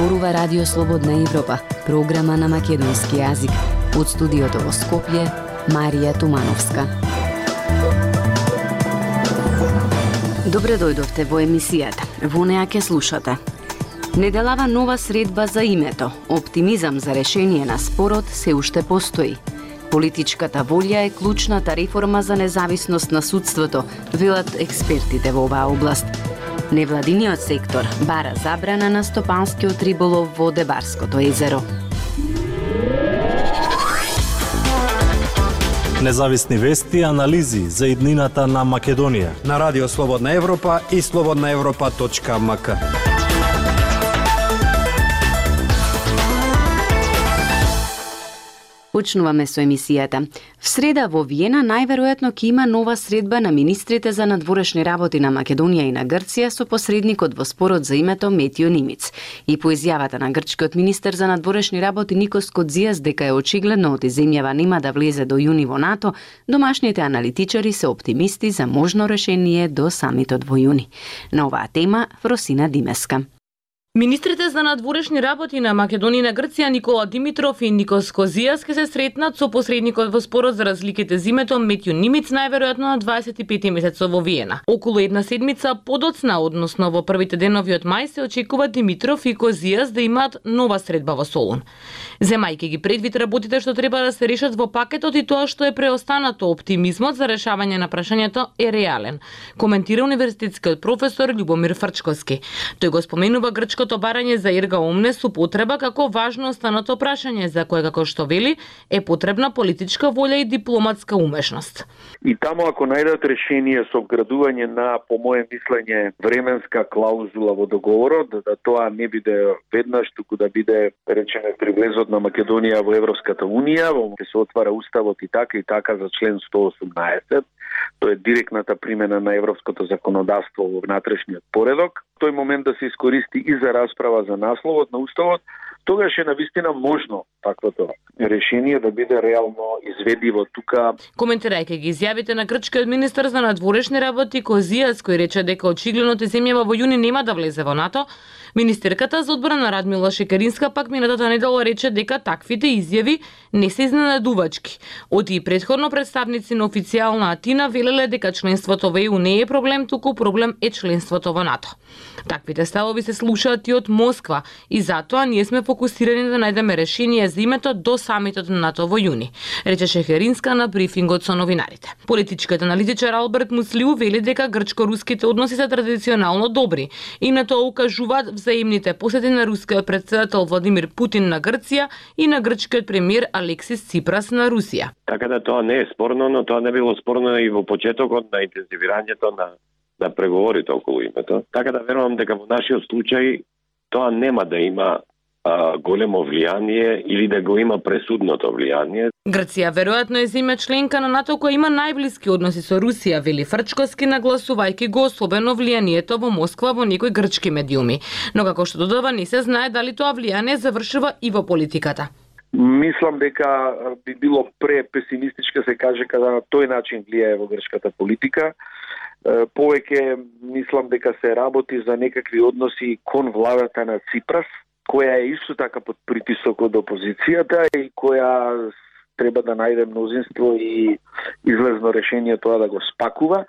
зборува Радио Слободна Европа, програма на македонски јазик. Од студиото во Скопје, Марија Тумановска. Добре дојдовте во емисијата. Во неа ќе слушате. Неделава нова средба за името. Оптимизам за решение на спорот се уште постои. Политичката волја е клучната реформа за независност на судството, велат експертите во оваа област. Невладиниот сектор бара забрана на стопанскиот риболов во Дебарското езеро. Независни вести и анализи за иднината на Македонија на Радио Слободна Европа и slobodnaevropa.mk. Почнуваме со емисијата. В среда во Виена најверојатно ќе има нова средба на министрите за надворешни работи на Македонија и на Грција со посредникот во спорот за името Метио Нимиц. И по изјавата на грчкиот министер за надворешни работи Никос Кодзијас дека е очигледно оти земјава нема да влезе до јуни во НАТО, домашните аналитичари се оптимисти за можно решение до самитот во јуни. На оваа тема Фросина Димеска. Министрите за надворешни работи на Македонија и на Грција Никола Димитров и Никос Козијас ќе се сретнат со посредникот во спорот за разликите за името Метио Нимиц најверојатно на 25 месецот во Виена. Околу една седмица подоцна, односно во првите денови од мај, се очекува Димитров и Козијас да имаат нова средба во Солун. Земајќи ги предвид работите што треба да се решат во пакетот и тоа што е преостанато, оптимизмот за решавање на прашањето е реален, коментира универзитетскиот професор Љубомир Фрчковски. Тој го споменува грчкото барање за ерга омне со потреба како важно останато прашање за кое, како што вели, е потребна политичка волја и дипломатска умешност. И таму ако најдат решение со вградување на, по моје мислење, временска клаузула во договорот, да тоа не биде веднаш, туку да биде, речеме, при влезот на Македонија во Европската Унија, во се отвара уставот и така за член 118, тоа е директната примена на европското законодавство во внатрешниот поредок. Тој момент да се искористи и за расправа за насловот на уставот, тогаш е навистина можно таквото решение да биде реално изведиво тука. Коментирајќи ги изјавите на грчкиот министер за надворешни работи Козијас, кој рече дека очигледно земјава во јуни нема да влезе во НАТО, министерката за одбрана Радмила Шекеринска пак минатата недела рече дека таквите изјави не се изненадувачки. Оти и претходно представници на официјална Атина велеле дека членството во ЕУ не е проблем, туку проблем е членството во НАТО. Таквите ставови се слушаат и од Москва и затоа ние сме фокусирани да најдеме решение за името до самитот на НАТО во јуни, рече Шекеринска на брифингот со новинарите. Политичкиот аналитичар Алберт Муслиу вели дека грчко-руските односи се традиционално добри и на тоа укажуваат взаимните посети на рускиот претседател Владимир Путин на Грција и на грчкиот премиер Алексис Ципрас на Русија. Така да тоа не е спорно, но тоа не било спорно и во почетокот на интензивирањето на преговорите околу името. Така да верувам дека во нашиот случај тоа нема да има големо влијание или да го има пресудното влијание. Грција веројатно е земја членка на НАТО која има најблиски односи со Русија, вели Фрчковски, нагласувајќи го особено влијанието во Москва во некои грчки медиуми. Но како што додава, не се знае дали тоа влијание завршува и во политиката. Мислам дека би било препесимистичко се каже кога на тој начин влијае во грчката политика. Повеќе мислам дека се работи за некакви односи кон владата на Ципрас, која е исто така под притисок од опозицијата и која треба да најде мнозинство и излезно решение тоа да го спакува.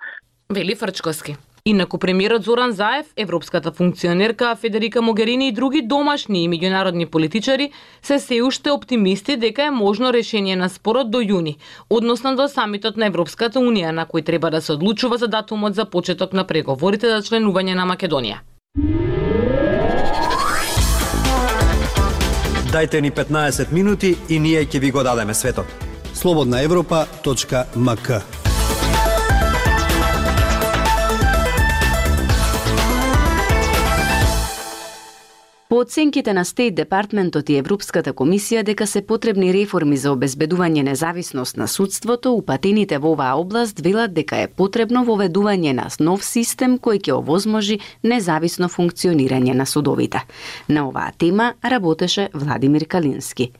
Вели Фрчковски. Инаку премиерот Зоран Заев, европската функционерка Федерика Могерини и други домашни и меѓународни политичари се уште оптимисти дека е можно решение на спорот до јуни, односно до самитот на Европската Унија, на кој треба да се одлучува за датумот за почеток на преговорите за членување на Македонија. Дајте ни 15 минути и ние ќе ви го дадеме светот. slobodnaevropa.mk. По оценките на Стейт Департментот и Европската комисија дека се потребни реформи за обезбедување независност на судството, упатените во оваа област велат дека е потребно воведување на нов систем кој ќе овозможи независно функционирање на судовите. На оваа тема работеше Владимир Калински.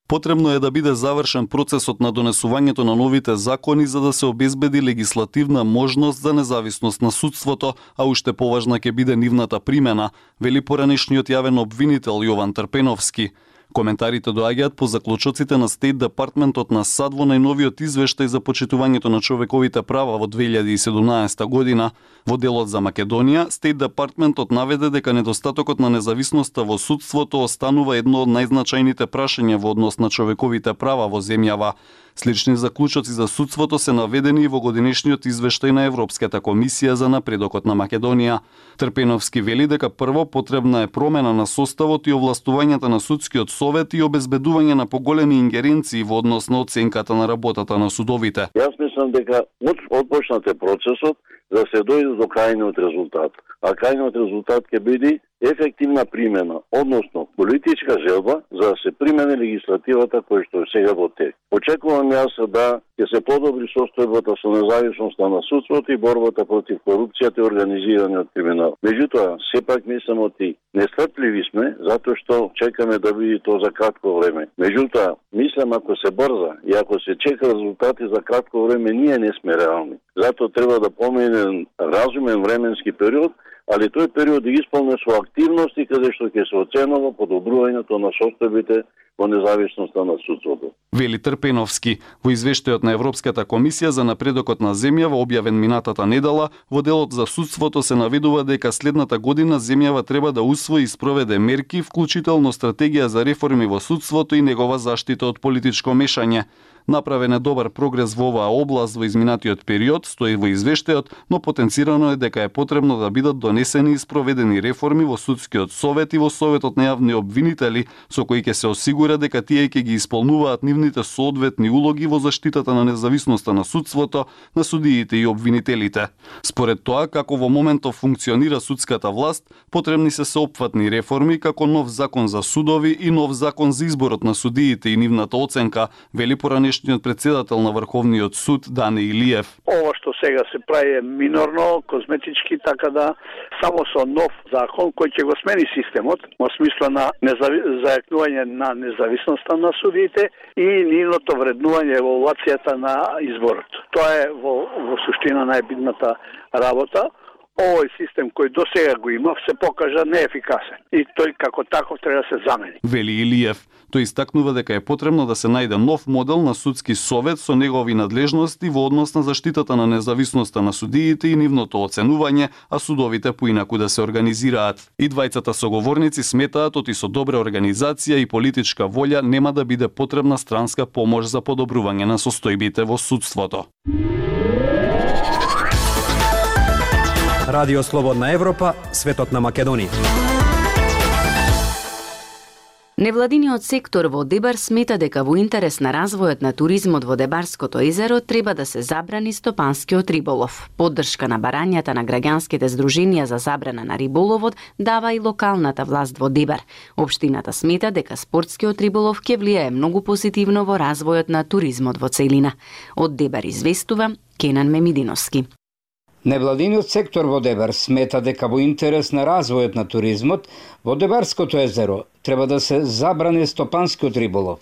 Потребно е да биде завршен процесот на донесувањето на новите закони за да се обезбеди легислативна можност за независност на судството, а уште поважна ќе биде нивната примена, вели поранешниот јавен обвинител Јован Трпеновски. Коментарите доаѓаат по заклучоците на State Departmentот на САД во најновиот извештај за почитувањето на човековите права во 2017 година. Во делот за Македонија, State Departmentот наведе дека недостатокот на независноста во судството останува едно од најзначајните прашања во однос на човековите права во земјава. Слични заклучоци за судството се наведени и во годинешниот извештај на Европската комисија за напредокот на Македонија. Трпеновски вели дека прво потребна е промена на составот и овластувањата на судскиот совет и обезбедување на поголеми ингеренции во однос на оценката на работата на судовите. Јас мислам дека отпочнат е процесот да се дојде до крајниот резултат. А крајниот резултат ќе биде ефективна примена, односно политичка желба за да се примени легислативата која што е сега во тек. Очекувам јас да ќе се подобри состојбата со независноста на судството и борбата против корупцијата и организираниот криминал. Меѓутоа, сепак мислам оти нестрпливи сме затоа што чекаме да биде тоа за кратко време. Меѓутоа, мислам ако се брза и ако се чека резултати за кратко време, ние не сме реални. Затоа треба да помине разумен временски период, али тој период да исполне со активности каде што ќе се оценува подобрувањето на состојбите во независноста на судството. Вели Трпеновски. Во извештајот на Европската комисија за напредокот на земјава објавен минатата недела, во делот за судството се наведува дека следната година земјава треба да усвои и спроведе мерки, вклучително стратегија за реформи во судството и негова заштита од политичко мешање. Направен е добар прогрес во оваа област во изминатиот период, стои во извештајот, но потенцирано е дека е потребно да бидат донесени и спроведени реформи во судскиот совет и во советот на јавни обвинители, со кои ќе се осигура дека тие ќе ги исполнуваат нивните соодветни улоги во заштитата на независноста на судството, на судиите и обвинителите. Според тоа, како во моментов функционира судската власт, потребни се сеопфатни реформи како нов закон за судови и нов закон за изборот на судиите и нивната оценка, вели поранешниот председател на Врховниот суд Дане Илиев. Ова што сега се прави е минорно, козметички, така да само со нов закон кој ќе го смени системот во смисла на зајакнување на независноста на судиите и нивното вреднување евалуацијата на изборот. Тоа е во суштина најбитната работа. Овој систем кој до сега го има се покажа неефикасен и тој како таков треба да се замени. Вели Илиев. Тој истакнува дека е потребно да се најде нов модел на судски совет со негови надлежности во однос на заштитата на независноста на судиите и нивното оценување, а судовите поинаку да се организираат. И двајцата соговорници сметаат оти со добра организација и политичка волја нема да биде потребна странска помош за подобрување на состојбите во судството. Радио Слободна Европа, светот на Македонија. Невладиниот сектор во Дебар смета дека во интерес на развојот на туризмот во Дебарското езеро треба да се забрани стопанскиот риболов. Поддршка на барањата на граѓанските здруженија за забрана на риболовот дава и локалната власт во Дебар. Општината смета дека спортскиот риболов ќе влијае многу позитивно во развојот на туризмот во целина. Од Дебар известува Кенан Мемидиновски. Невладиниот сектор во Дебар смета дека во интерес на развојот на туризмот во Дебарското езеро треба да се забрани стопанскиот риболов.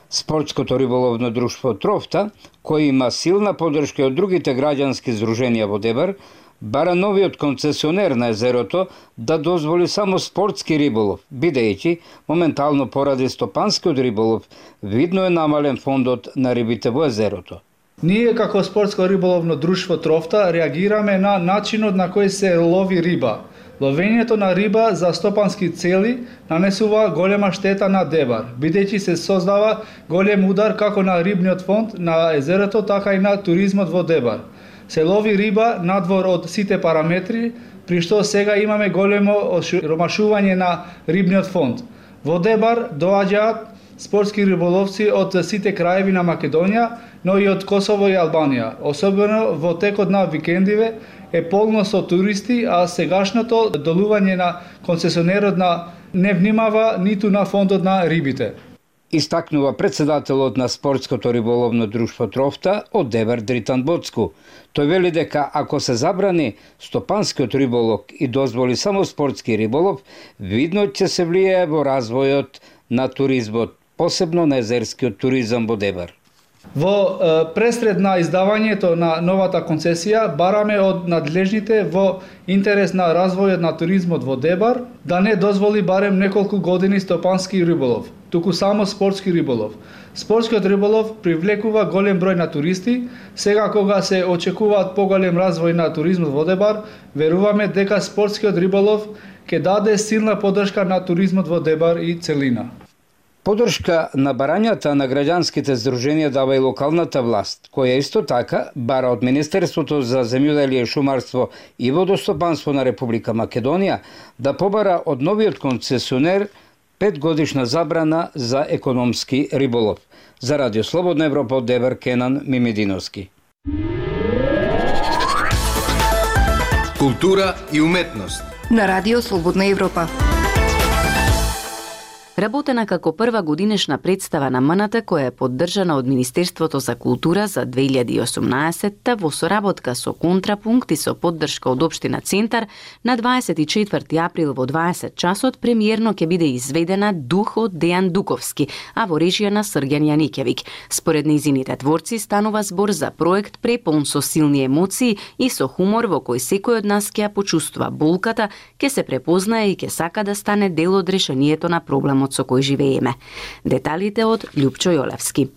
Спортското риболовно друштво Трофта, кој има силна поддршка од другите граѓански здруженија во Дебар, бара новиот концесионер на езерото да дозволи само спортски риболов, бидејќи моментално поради стопанскиот риболов видно е намален фондот на рибите во езерото. Ние како спортско риболовно друштво Трофта реагираме на начинот на кој се лови риба. Ловењето на риба за стопански цели нанесува голема штета на Дебар, бидејќи се создава голем удар како на рибниот фонд на езерото, така и на туризмот во Дебар. Се лови риба надвор од сите параметри, при што сега имаме големо ромашување на рибниот фонд. Во Дебар доаѓаат спортски риболовци од сите краеви на Македонија, но и од Косово и Албанија. Особено во текот на викендиве е полно со туристи, а сегашното долување на концесионерот не внимава ниту на фондот на рибите. Истакнува председателот на спортското риболовно друштво Трофта од Дебар Дритан Боцку. Тој вели дека ако се забрани стопанскиот риболов и дозволи само спортски риболов, видно ќе се влијае во развојот на туризмот посебно на езерскиот туризам во Дебар. Во пресред на издавањето на новата концесија бараме од надлежните во интерес на развојот на туризмот во Дебар да не дозволи барем неколку години стопански риболов, туку само спортски риболов. Спортскиот риболов привлекува голем број на туристи. Сега кога се очекуваат поголем развој на туризмот во Дебар, веруваме дека спортскиот риболов ќе даде силна поддршка на туризмот во Дебар и целина. Поддршка на барањата на граѓанските здруженија дава и локалната власт, која исто така бара од Министерството за земјоделие, шумарство и водостопанство на Република Македонија да побара од новиот концесионер 5-годишна забрана за економски риболов. За Радио Слободна Европа од Дебар, Кенан Мимединовски. Култура и уметност на Радио Слободна Европа. Работена како прва годинешна представа на МНТ која е поддржана од Министерството за култура за 2018 во соработка со Контрапункт и со поддршка од Општина Центар, на 24 април во 20 часот премиерно ќе биде изведена Дух од Дејан Дуковски, а во режија на Срѓан Јаникевиќ. Според нејзините творци станува збор за проект преполн со силни емоции и со хумор во кој секој од нас ќе ја почувствува болката, ќе се препознае и ќе сака да стане дел од решението на проблемот со кој живееме. Деталите од Љупчо Јолевски.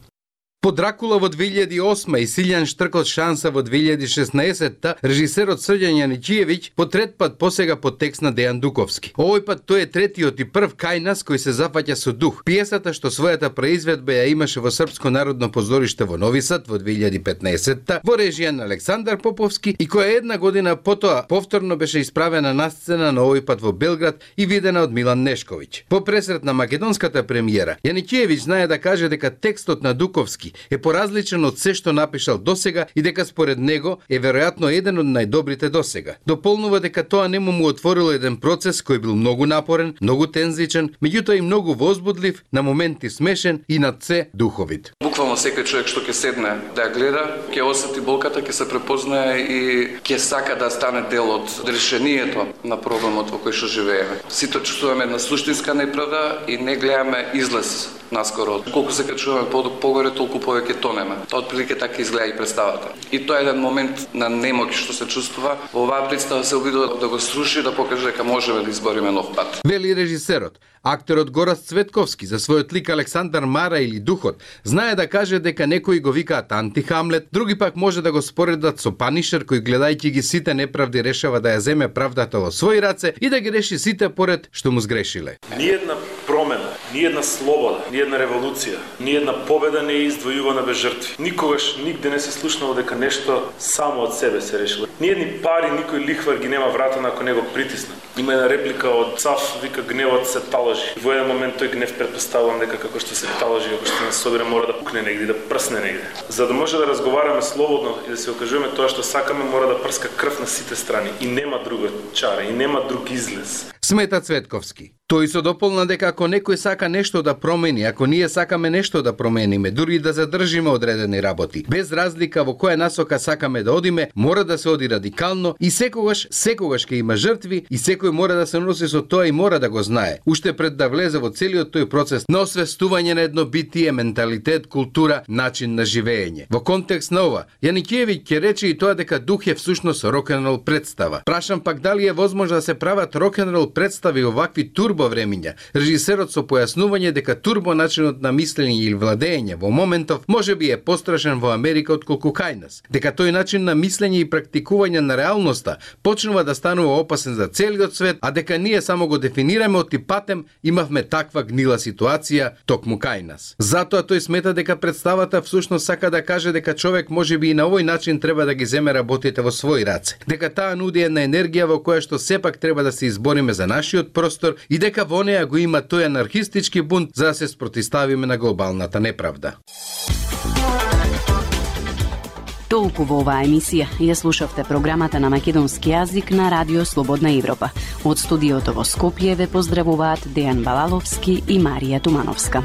По Дракула во 2008 и Силјан Штркот шанса во 2016, режисерот Срѓан Јаничиевиќ по трет пат посега по текст на Дејан Дуковски. Овој пат тој е третиот и прв кај нас кој се зафаќа со дух. Пиесата што својата произведба ја имаше во Српско народно позориште во Нови Сад во 2015 во режија на Александар Поповски и која една година потоа повторно беше исправена на сцена на овој пат во Белград и видена од Милан Нешковиќ. По пресрет на македонската премиера, Јаничиевиќ знае да каже дека текстот на Дуковски е поразличен од се што напишал досега и дека според него е веројатно еден од најдобрите досега. Дополнува дека тоа нему му отворило еден процес кој бил многу напорен, многу тензичен, меѓутоа и многу возбудлив, на моменти смешен и над се духовит. Буквално секој човек што ќе седне да ја гледа, ќе осети болката, ќе се препознае и ќе сака да стане дел од решението на проблемот во кој што живееме. Сите чувствуваме една суштинска неправда и не гледаме излез наскоро. Колку се качуваме погоре, толку повеќе тонеме. Тоа отприлика така изгледа и представата. И тоа е еден момент на немоќ што се чувствува. Во оваа представа се обидува да го сруши, да покаже дека можеме да избориме нов пат. Вели режисерот. Актерот Горас Цветковски за својот лик Александар Мара или Духот знае да каже дека некои го викаат анти-Хамлет, други пак може да го споредат со Панишер кој гледајќи ги сите неправди решава да ја земе правдата во своји раце и да ги реши сите поред што му сгрешиле. Ниедна промена, ниедна слобода, ниедна револуција, ниедна победа не е издвојувана без жртви. Никогаш нигде не се слушнало дека нешто само од себе се решило. Ниедни пари, никој лихвар ги нема вратена ако не го притисна. Има една реплика од Цав, вика гневот се талажи. Во еден момент тој гнев претпоставувам дека како што се талажи, ако што не собира мора да пукне негде, да прсне негде. За да може да разговараме слободно и да се окажуваме тоа што сакаме, мора да прска крв на сите страни и нема друга чара и нема друг излез. Смета Цветковски. Тој се дополна дека ако некој сака нешто да промени, ако ние сакаме нешто да промениме, дури да задржиме одредени работи, без разлика во која насока сакаме да одиме, мора да се оди радикално и секогаш ќе има жртви и секој мора да се носи со тоа и мора да го знае. Уште пред да влезе во целиот тој процес на освестување на едно битие, менталитет, култура, начин на живење. Во контекст на ова, Јаникиевиќ ќе рече и тоа дека дух е всушност рок-н-рол представа. Прашам пак дали е возможно да се прават рок-н-рол представи овакви турбо времиња. Режисерот со појаснување дека турбо начинот на мислење или владење во моментов можеби е пострашен во Америка отколку кај нас. Дека тој начин на мислење и практикување на реалноста почнува да станува опасен за целиот свет, а дека ние само го дефинираме од типатем, имавме таква гнила ситуација токму кај нас. Затоа тој смета дека представата всушност сака да каже дека човек можеби и на овој начин треба да ги земе работите во своји раце. Дека таа нуди една енергија во која што сепак треба да се избориме за нашиот простор и дека во неа го има тој анархистички бунт за да се спротиставиме на глобалната неправда. Толку во оваа емисија. Ја слушавте програмата на македонски јазик на Радио Слободна Европа. Од студиото во Скопје ве поздравуваат Дејан Балаловски и Марија Тумановска.